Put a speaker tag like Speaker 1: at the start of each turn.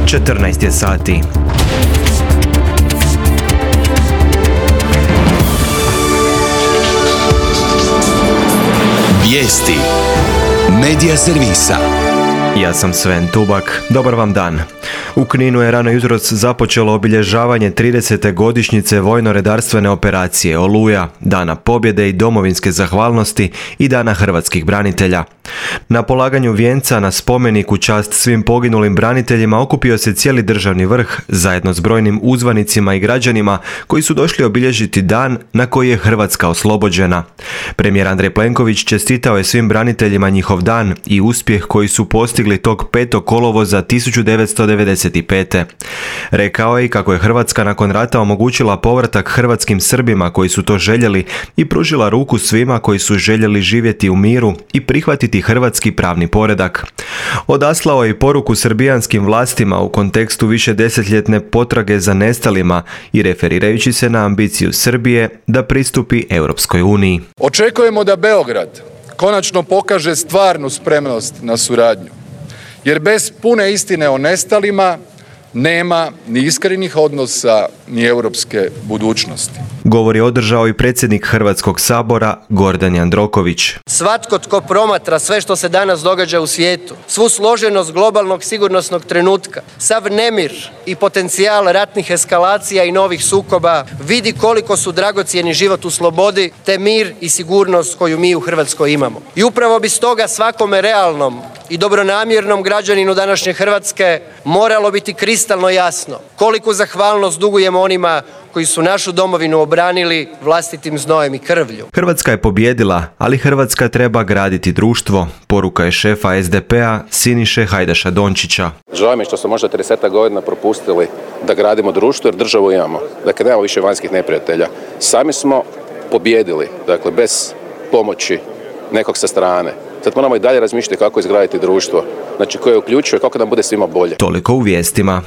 Speaker 1: 14 je sati.
Speaker 2: Vijesti Medija servisa.
Speaker 1: Ja sam Sven Tubak. Dobar vam dan. U Kninu je rano jutros započelo obilježavanje 30. godišnjice vojno-redarstvene operacije Oluja, Dana pobjede i domovinske zahvalnosti i Dana hrvatskih branitelja. Na polaganju vijenca na spomenik u čast svim poginulim braniteljima okupio se cijeli državni vrh zajedno s brojnim uzvanicima i građanima koji su došli obilježiti dan na koji je Hrvatska oslobođena. Premijer Andrej Plenković čestitao je svim braniteljima njihov dan i uspjeh koji su postigli tog 5. kolovoza 1995. Rekao je i kako je Hrvatska nakon rata omogućila povratak hrvatskim Srbima koji su to željeli i pružila ruku svima koji su željeli živjeti u miru i prihvatiti hrvatski pravni poredak. Odaslao je i poruku srbijanskim vlastima u kontekstu višedesetljetne potrage za nestalima i referirajući se na ambiciju Srbije da pristupi Europskoj uniji.
Speaker 3: Očekujemo da Beograd konačno pokaže stvarnu spremnost na suradnju, jer bez pune istine o nestalima nema ni iskrenih odnosa ni europske budućnosti.
Speaker 1: Govor je održao i predsjednik Hrvatskog sabora Gordan Jandroković.
Speaker 4: Svatko tko promatra sve što se danas događa u svijetu, svu složenost globalnog sigurnosnog trenutka, sav nemir i potencijal ratnih eskalacija i novih sukoba, vidi koliko su dragocjeni život u slobodi te mir i sigurnost koju mi u Hrvatskoj imamo. I upravo bi stoga svakome realnom i dobronamjernom građaninu današnje Hrvatske moralo biti kristalno jasno koliku zahvalnost dugujemo onima koji su našu domovinu obranili vlastitim znojem i krvlju.
Speaker 1: Hrvatska je pobijedila, ali Hrvatska treba graditi društvo. Poruka je šefa SDP-a Siniše Hajdaša Dončića.
Speaker 5: Žao mi što smo možda 30 godina propustili da gradimo društvo jer državu imamo. Dakle, nemamo više vanjskih neprijatelja. Sami smo pobijedili, dakle, bez pomoći nekog sa strane. Sad moramo i dalje razmišljati kako izgraditi društvo, znači koje uključuje kako nam bude svima bolje.
Speaker 1: Toliko u vijestima.